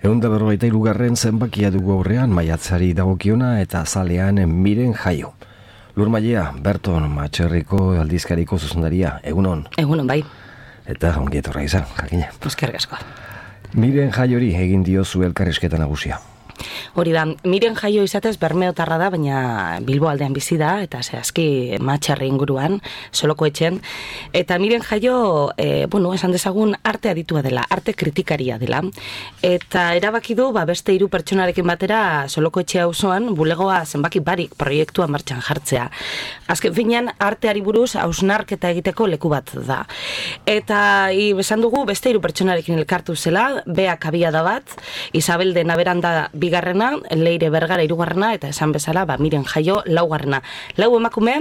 143. zenbakia dugu aurrean maiatzari dagokiona eta azalean Miren Jaio. Lurmailea, Berton Matxerriko aldizkariko zuzendaria, egunon. Egunon, bai. Eta ongietorra izan, jakina. Eskerrik asko. Miren Jaiori egin diozu elkarrizketa nagusia. Hori da, Miren Jaio izatez bermeotarra da, baina Bilbo aldean bizi da, eta zehazki Matxarri inguruan, Soloko etxen. Eta Miren Jaio, esan dezagun, arte aditua dela, arte kritikaria dela. Eta erabaki du, beste 3 pertsonarekin batera Soloko etxe auzoan bulegoa zenbaki barik proiektua martxan jartzea. Azken finean, arteari buruz hausnarketa egiteko leku bat da. Eta esan dugu, beste 3 pertsonarekin elkartu zela, Beak Abiada bat, Isabel de Naberanda bigarrena, Leire Bergara 3. eta esan bezala, Miren Jaio 4. 4 emakume,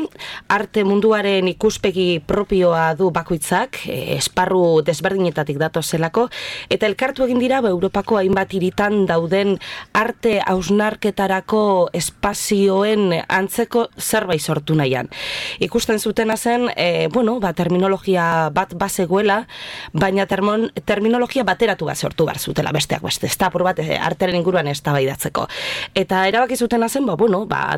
arte munduaren ikuspegi propioa du bakoitzak, esparru desberdinetatik dato zelako, eta elkartu egin dira Europako hainbat hiritan dauden arte hausnarketarako espazioen antzeko zerbait sortu nahian. Ikusten zutena zen, terminologia bat bazegoela, baina terminologia bateratu bat sortu bar zutela besteak beste. Ez da, apur bat, artearen inguruan eztabaidatzeko. Eta erabaki zutena zen,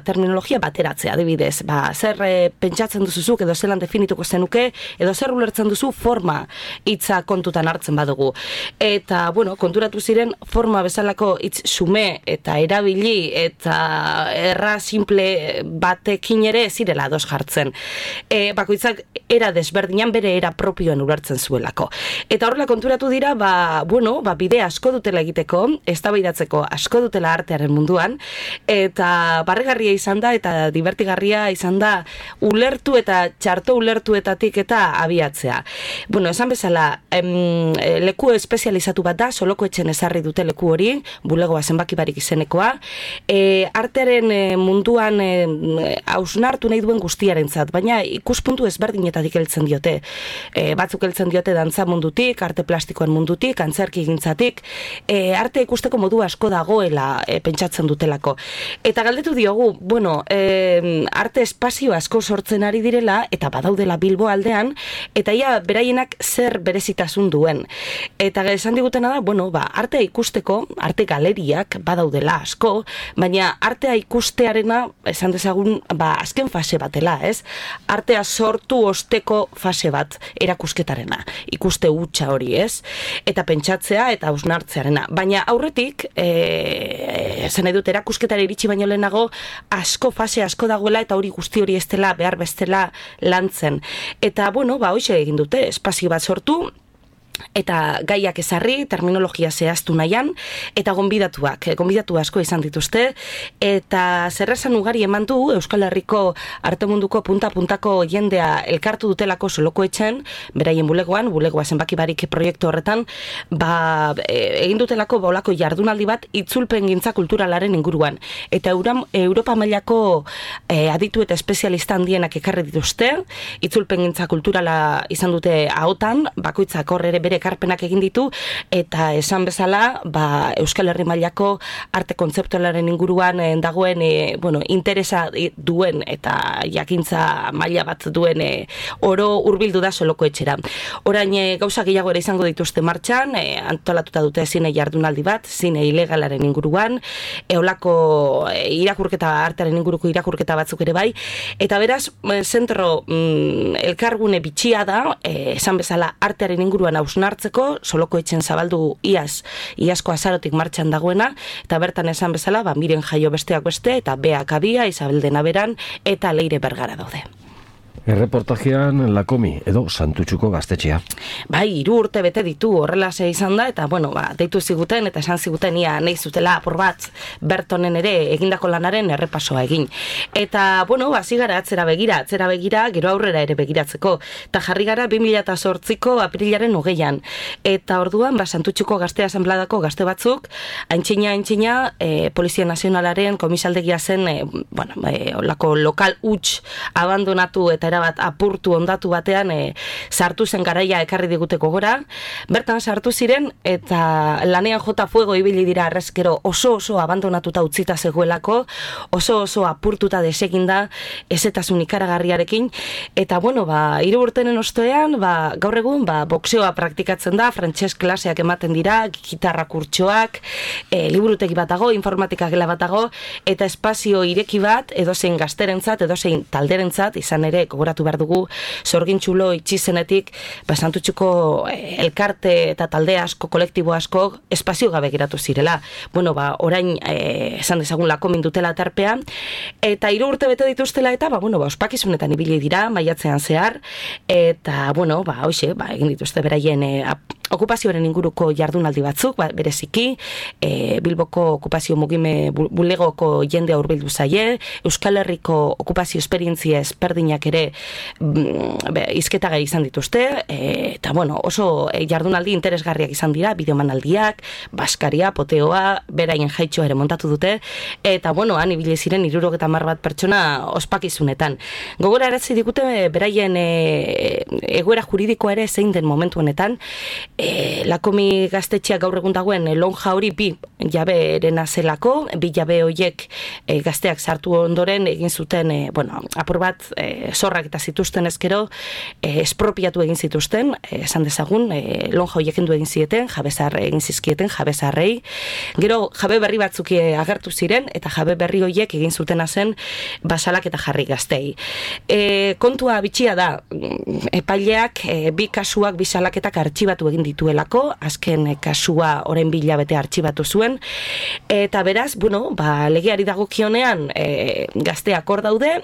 terminologia bateratzea, adibidez, zer pentsatzen duzuzuk edo zelan definituko zenuke, edo zer ulertzen duzu forma hitza kontutan hartzen badugu. Eta, konturatu ziren forma bezalako hitz xume eta erabili eta erra simple batekin ere zirela ados jartzen. Bakoitzak era desberdinan bere era propioen ulertzen zuelako. Eta horrela konturatu dira, bide asko dutela egiteko, eztabaidatzeko asko dutela artearen munduan, eta barregarria izan da, eta divertigarria izan da, ulertu eta txarto ulertuetatik eta abiatzea. Esan bezala, leku espezializatu bat da, Soloko etxen ezarri dute leku hori, bulegoa zenbaki barik izenekoa, artearen munduan hausnartu nahi duen guztiarentzat, baina ikuspuntu ezberdinetatik heltzen diote. Batzuk heltzen diote dantza mundutik, arte plastikoen mundutik, antzerki gintzatik, arte ikusteko modu asko dagoela pentsatzen dutelako. Eta galdetu diogu, arte espazio asko sortzen ari direla, eta badaudela Bilbo aldean, eta ia beraienak zer berezitasun duen. Eta esan digutena da, artea ikusteko, arte galeriak badaudela asko, baina artea ikustearena, esan dezagun, azken fase batela, ez? Artea sortu osteko fase bat erakusketarena, ikuste hutsa hori, ez? Eta pentsatzea eta hausnartzearena. Baina aurretik, zen edut erakusketara iritsi baino lehenago, fase asko dagoela, eta hori guzti hori ez dela behar bestela lantzen. Eta, hoxe egin dute, espazio bat sortu, eta gaiak ezarri, terminologia zehaztu nahian, eta gonbidatu asko izan dituzte, eta zerrezan ugari eman du Euskal Herriko arte munduko punta-puntako jendea elkartu dutelako Soloko etxen, beraien bulegoa zenbaki barik proiektu horretan, egin dutelako olako jardunaldi bat itzulpen gintza kulturalaren inguruan, eta Europa mailako aditu eta espezialista handienak ekarri dituzte, itzulpen gintza kulturala izan dute ahotan, bakoitzak horre bere ekarpenak egin ditu, eta esan bezala, Euskal Herri mailako arte kontzeptualaren inguruan dagoen, interesa duen eta jakintza maila bat duen oro hurbildu da Soloko etxera. Orain gauza gehiago ere izango dituzte martxan, antolatuta dute zine jardunaldi bat, zine ilegalaren inguruan, eolako irakurketa, artearen inguruko irakurketa batzuk ere bai, eta beraz, zentro elkargune bitxia da, esan bezala artearen inguruan hausnartzeko, Soloko etxen zabaldu iazko azarotik martxan dagoena, eta bertan esan bezala, Miren Jaio besteak beste, eta Beak Abia, Isabel de Naberan, eta Leire Bergara daude. Erreportajean Lakomi edo Santutxuko gaztetxea. 3 urte bete ditu horrelase izan da, eta deitu ziguten eta esan ziguten ia nahi zutela apur bat Bertonen ere egindako lanaren errepasoa egin. Eta, hasi gara atzera begira, gero aurrera ere begiratzeko. Eta jarri gara 2008ko aprilaren 20an. Eta orduan, Santutxuko gazte asanbladako gazte batzuk, aintzina, Polizia Nazionalaren komisaldegia zen, olako lokal huts abandonatu eta eta erabat apurtu ondatu batean sartu zen garaia ekarri diguteko gora. Bertan sartu ziren eta lanean jota fuego ibili dira arrezkero oso abandonatuta utzita zegoelako, oso apurtuta deseginda ezetasun ikaragarriarekin, eta bueno, 3 urtenen ostean, gaur egun, boxeoa praktikatzen da, frantses klaseak ematen dira, gitarra kurtsoak, liburutegi bat dago, informatika gela bat dago, eta espazio ireki bat, edozein gazterentzat, edozein talderentzat, izan ere, gogoratu behar dugu, Sorgintxulo itxizenetik, Santutxuko elkarte eta talde asko, kolektibo asko, espazio gabe geratu zirela. Bueno, orain, esan dezagun lakomin dutela tarpean, eta 3 urte bete dituztela eta, ospakizunetan ibili dira, maiatzean zehar, eta, hoxe, egin dituzte beraien okupazioaren inguruko jardunaldi batzuk, bereziki, Bilboko okupazio mugime bulegoko jendea hurbildu zaie, Euskal Herriko okupazio esperientzia ezberdinak ere izketagai izan dituzte, eta oso jardunaldi interesgarriak izan dira, bideomanaldiak, baskaria, poteoa, beraien jaitxoa ere montatu dute, eta han ibili ziren 70 bat pertsona ospakizunetan. Gogora eratzi digute beraien egoera juridikoa ere zein den momentu honetan, Lakomi gaztetxeak gaur egun dagoen lonja hori 2 jabeerena zelako, 2 jabe horiek gazteak sartu ondoren egin zuten, apur bat zorrak eta zituzten ezkero, espropiatu egin zituzten, esan dezagun, lonja horiek endu egin zieten, jabezar egin zizkieten, jabezarrei, gero jabe berri batzuk agertu ziren, eta jabe berri horiek egin zutena zen basalak eta jarri gaztei. Kontua bitxia da, epaileak 2 kasuak, 2 salaketak artxibatu egin dituelako, azken kasua orain 2 hilabete artxibatu zuen, eta beraz, legeari dagokionean gazteak hor daude,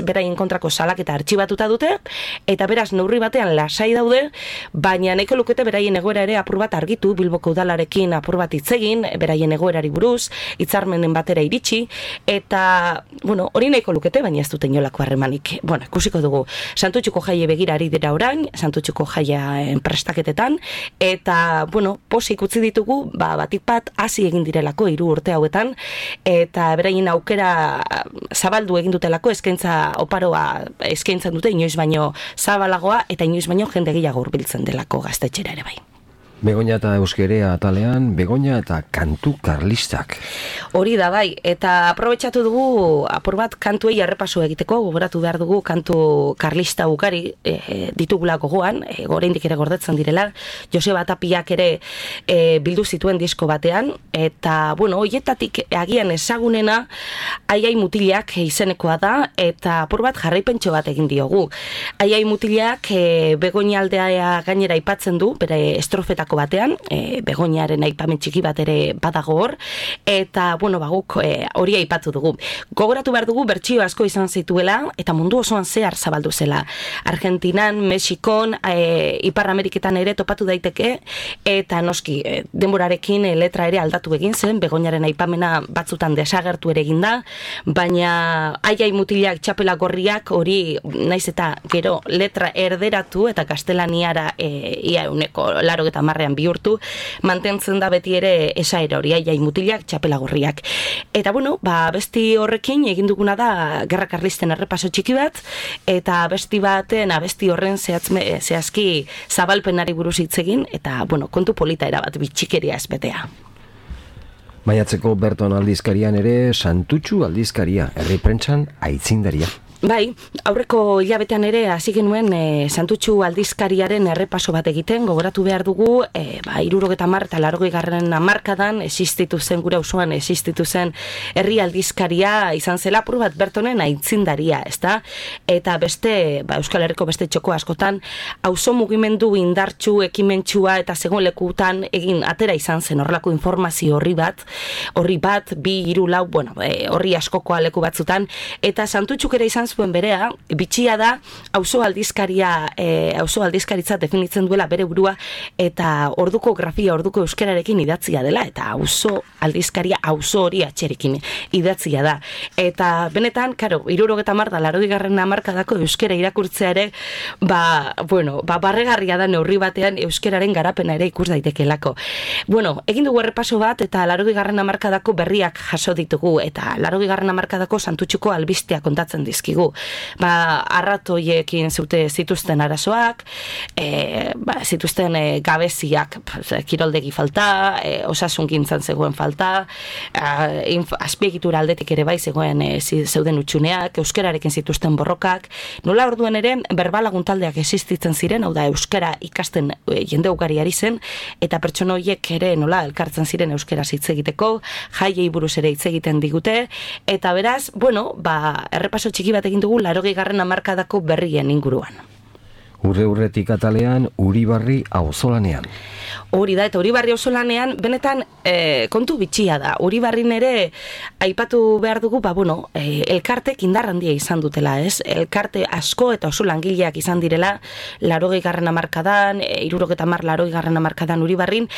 beraien kontrako salaketa artxibatuta dute, eta beraz neurri batean lasai daude, baina nahiko lukete beraien egoera ere apur bat argitu, Bilboko udalarekin apur bat hitzegin, beraien egoerari buruz, hitzarmenen batera iritsi, eta, hori nahiko lukete, baina ez dute inolako harremanik. Ikusiko dugu, Santutxuko jaie begira ari dira orain, Santutxuko jaia prestaketetan, eta, posik utzi ditugu, batik bat hasi egin direlako 3 urte hauetan, eta beraien aukera zabaldu egin dutelako, eskaintza oparoa eskaintzen dute, inoiz baino zabalagoa, eta inoiz baino jende gehiago hurbiltzen delako gaztetxera ere bai. Begoña eta Euskerea atalean, Begoña eta kantu karlistak. Hori da bai, eta aprobetxatu dugu apur bat kantuei errepaso egiteko, gogoratu behar dugu kantu karlista ugari ditugula gogoan, oraindik ere gordetzen direla, Joseba Tapiak ere bildu zituen disko batean, eta, hoietatik agian ezagunena Aiai Mutilak izenekoa da, eta apur bat jarraipentxo bat egin diogu. Aiai Mutilak Begoña aldea gainera aipatzen du, bere estrofetako batean, Begoñaren aipamen txiki bat ere badago hor, eta, guk hori aipatu dugu. Gogoratu behar dugu bertsio asko izan zituela, eta mundu osoan zehar zabaldu zela. Argentinan, Mexikon, Ipar Ameriketan ere topatu daiteke, eta noski, denborarekin letra ere aldatu egin zen, Begoñaren aipamena batzutan desagertu ere egin da, baina Aiai Mutilak txapela gorriak hori naiz eta gero letra erderatu eta gaztelaniara ia 80 bihurtu, mantentzen da beti ere esaera hori Aiai Mutilak txapela gorriak. Eta besti horrekin egin duguna da Gerra Karlisten errepaso txiki bat, eta abesti horren zehazki zabalpenari buruz hitz egin, eta kontu polita erabat bitxikeria ez betea. Maiatzeko Berton aldizkarian ere Santutxu aldizkaria, herri prentsan aitzindaria. Bai, aurreko hilabetean ere hasi genuen Santutxu aldizkariaren errepaso bat egiten, gogoratu behar dugu, 70 eta 80 hamarkadan existitu zen, gure auzoan existitu zen herri aldizkaria izan zela apur bat Bertonen aitzindaria, ezta? Eta beste, Euskal Herriko beste txoko askotan, auzo mugimendu indartsu, ekimentsua eta zegoen lekutan egin atera izan zen horrelako informazio horri bat, 2, 3, 4, horri askokoa leku batzutan, eta Santutxuk ere izan zuen berea, bitxia da auzo aldizkaritza definitzen duela bere burua, eta orduko grafia, orduko euskerarekin idatzia dela, eta auzo aldizkaria auzo hori atxerekin idatzia da. Eta benetan, 70 eta 80 hamarkadako euskera irakurtzea ere, barregarria da neurri batean euskeraren garapena ere ikus daitekelako. Egin dugu errepaso bat, eta 80 hamarkadako berriak jaso ditugu, eta 80 hamarkadako Santutxuko albistea kontatzen dizkigu. digu. Arratoiekin zituzten arazoak, zituzten gabeziak, kiroldegi falta, osasungintzan zegoen falta, azpiegitura aldetik ere bai zeuden utxuneak, euskararekin zituzten borrokak, nola orduan ere berbalagun taldeak existitzen ziren, hau da euskara ikasten jende ugari ari zen, eta pertsona horiek ere nola elkartzen ziren euskara hitz egiteko, jaiei buruz ere hitz egiten digute, eta beraz, errepaso txiki bat egin dugu 80. hamarkadako berrien inguruan. Urre-urretik atalean, Uribarri auzolanean. Hori da, eta Uribarri auzolanean benetan kontu bitxia da. Uribarrin ere aipatu behar dugu, elkartek indar handia izan dutela, ez? Elkarte asko eta oso langileak izan direla 80. hamarkadan, 70. hamarkadan Uribarrin,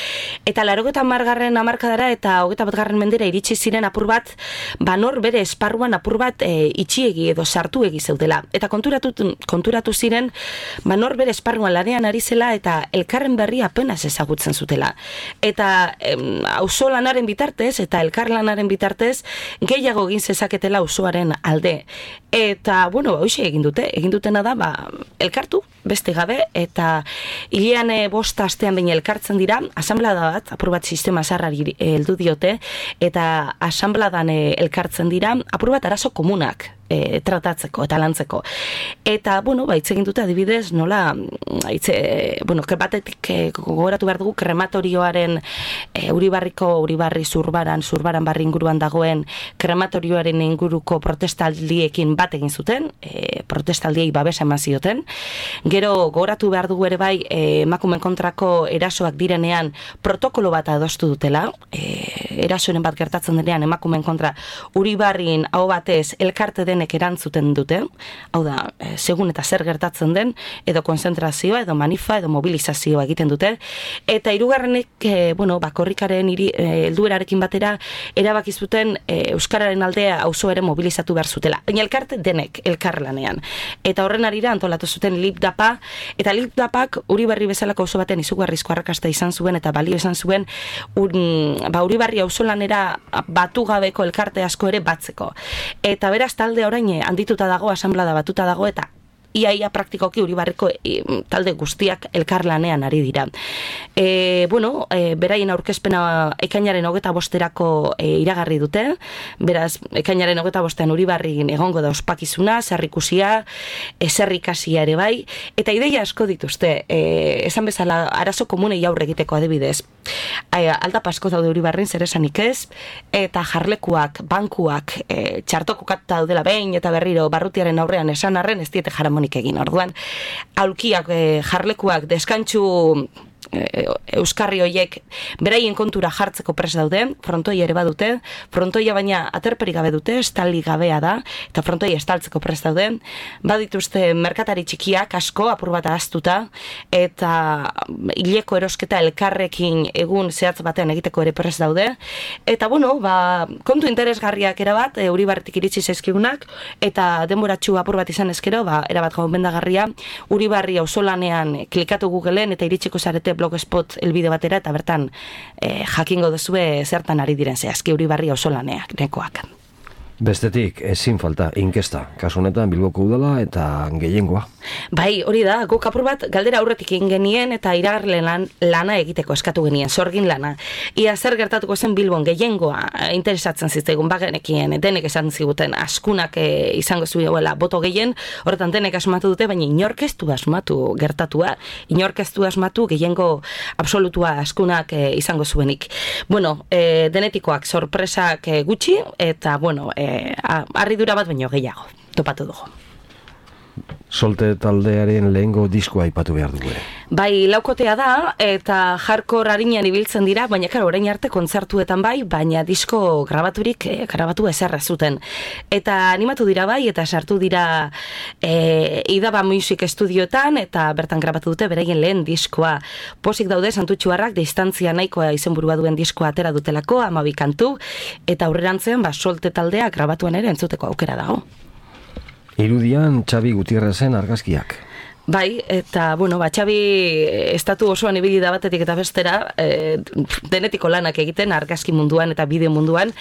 eta 80. hamarkadara eta 21. mendera iritsi ziren apur bat, nor bere esparruan apur bat itxiegi edo sartuegi zeudela. Eta konturatu ziren, nor bere esparruan lanean ari zela eta elkarren berri apenas ezagutzen zutela. Eta auzolanaren bitartez eta elkarlanaren bitartez gehiago egin zezaketela auzoaren alde. Eta, hoxe egin dutena da, elkartu, beste gabe, eta hilean 5 astean behin elkartzen dira, asanblada bat, apur bat sistema zarrari heldu diote, eta asanbladan elkartzen dira, apur bat arazo komunak tratatzeko eta lantzeko. Eta, hitz egin dute adibidez, nola, batetik gogoratu behar dugu krematorioaren Uribarri zurbaran barri inguruan dagoen krematorioaren inguruko protestaldiekin bat egin zuten, protestaldiei babesa eman zioten. Gero gogoratu behar dugu ere bai emakumeen kontrako erasoak direnean protokolo bat adostu dutela, erasoren bat gertatzen denean emakumeen kontra Uribarrin aho batez elkarte denek erantzuten dute, hau da, segun eta zer gertatzen den, edo konzentrazioa, edo manifa, edo mobilizazioa egiten dute, eta hirugarrenek, korrikaren helduerarekin batera, erabaki zuten euskararen aldea auzoaren mobilizatu behar zutela. Baina elkarte denek elkarlanean. Eta horren arira antolatu zuten Lipdapa, eta Lipdapak Uribarri bezalako auzo baten izugarrizko arrakasta izan zuen, eta balio izan zuen Uribarri auzolanera batu gabeko elkarte asko ere batzeko. Eta beraz talde orain handituta dago, asanblada batuta dago, eta iaia praktikoki Uribarriko talde guztiak elkarlanean ari dira. Beraien aurkezpena ekainaren 25erako iragarri dute, beraz, ekainaren 25ean Uribarrin egongo da ospakizuna, zerrikusia, zerrikasia ere bai, eta ideia asko dituzte, esan bezala arazo komunei aurre egiteko adibidez. Aldapa asko daude Uribarrin, zer esanik ez, eta jarlekuak, bankuak, txartokokatuta daudela behin eta berriro barrutiaren aurrean esan arren ez diete jaramonik egin. Orduan, aulkiak, jarlekuak, deskantxu euskarri hoiek beraien kontura jartzeko prest daude, frontoia ere badute, frontoia baina aterperik gabe dute, estali gabea da, eta frontoia estaltzeko prest daude, badituzte merkatari txikiak asko, apur bat ahaztuta, eta hileko erosketa elkarrekin egun zehatz batean egiteko ere prest daude, eta kontu interesgarriak erabat, Uribarritik iritsi zaizkigunak, eta denboratxu apur bat izan ezkero, erabat gomendagarria, Uribarri auzolanean klikatu Googleen eta iritsiko zarete blogspot elbide batera, eta bertan jakingo duzue zertan ari diren zehazki Uribarri auzolaneak nekoak. Bestetik, ezin falta, inkesta. Kasu honetan Bilboko udala eta gehiengoa. Bai, hori da, guk apur bat galdera aurretik egin genien eta iragarleen lana egiteko eskatu genien, sorgin lana. Ia zer gertatuko zen Bilbon gehiengoa interesatzen ziztegun bagenekien, denek esan ziguten askunak izango zuela boto gehien, horretan denek asmatu dute, baina inork ez du asmatu gertatua, inork ez du asmatu gehiengo absolutua askunak izango zuenik. Denetikoak sorpresak gutxi, eta harridura bat baino gehiago, topatu dugu. Solte taldearen lehengo diskoa aipatu behar dugu ere. Bai, laukotea da, eta hardcore harinean ibiltzen dira, baina orain arte kontzertuetan bai, baina disko grabatu ezerra zuten. Eta animatu dira bai, eta sartu dira Idaba Music Studioetan, eta bertan grabatu dute beraien lehen diskoa. Pozik daude Santutxuarrak distantzia nahikoa izenburua duen diskoa atera dutelako, 12 kantu, eta aurrerantzean solte taldea grabatuan ere entzuteko aukera dago. Irudian Xabi Gutierrezen argazkiak. Bai, eta, bueno, Xabi estatu osoan ibili da batetik eta bestera, denetiko lanak egiten, argazki munduan eta bideo munduan,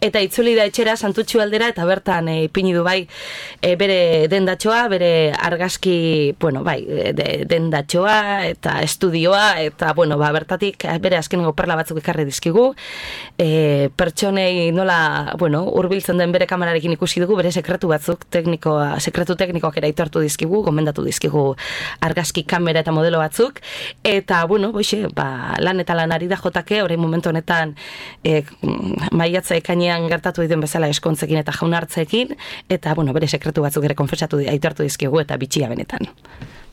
eta itzuli da etxera Santutxu aldera, eta bertan ipini du bai bere dendatxoa, bere argazki, bueno, bai, dendatxoa eta estudioa, eta, bueno, bertatik bere azkenengo perla batzuk ekarri dizkigu, pertsonei nola, bueno, hurbiltzen den bere kamerarekin ikusi dugu, bere sekretu batzuk, sekretu teknikoak ere aitortu dizkigu, gomendatu dizkigu argazki kamera eta modelo batzuk, eta, bueno, boixe, lan eta lan ari da jotake, orain momentu honetan maiatza ekainean gertatu dituen bezala eskontzekin eta jaunartzeekin, eta, bueno, bere sekretu batzuk ere konfesatu aitortu dizkigu, eta bitxia benetan.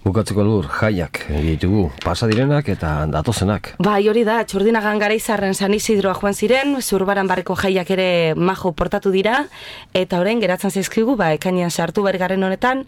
Bukatzeko Lur, jaiak ditugu, pasa direnak eta datozenak. Bai, hori da, Txurdinagan Garaizarren San Isidroa joan ziren, Zurbaran barriko jaiak ere majo portatu dira, eta orain geratzen zaizkigu, ekainean sartu bergarren honetan,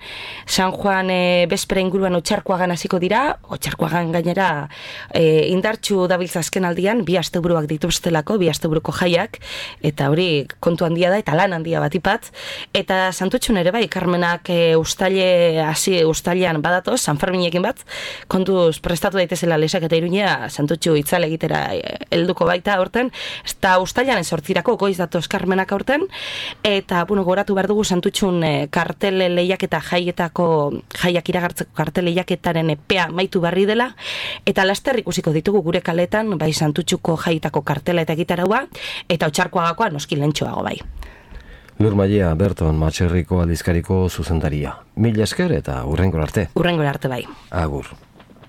San Juan bespera inguruan Otxarkoagan hasiko dira, Otxarkoagan gainera indartxu dabiltza azken aldian, 2 asteburuak dituztelako, 2 asteburuko jaiak, eta hori kontu handia da, eta lan handia batipat, eta Santutxun ere bai, Carmenak ustailean badatoz, San Ferminekin bat, kontuz prestatu daitezela Lesak eta Iruña Santutxu itzale egitera helduko baita horten, eta ustailaren 8 goiz datoz Carmenak horten, eta, bueno, goratu behar dugu Santutxun kartel lehiaketa jaiak iragartzeko kartel lehiaketaren epea maitu barri dela, eta laster ikusiko ditugu gure kaletan, bai Santutxuko jaietako kartela eta gitaraua, eta Otxarkoagakoa noski lentxoago bai. Lur Maiea, Berton Matxerriko aldizkariko zuzendaria. Mila esker eta hurrengora arte. Hurrengora arte bai. Agur.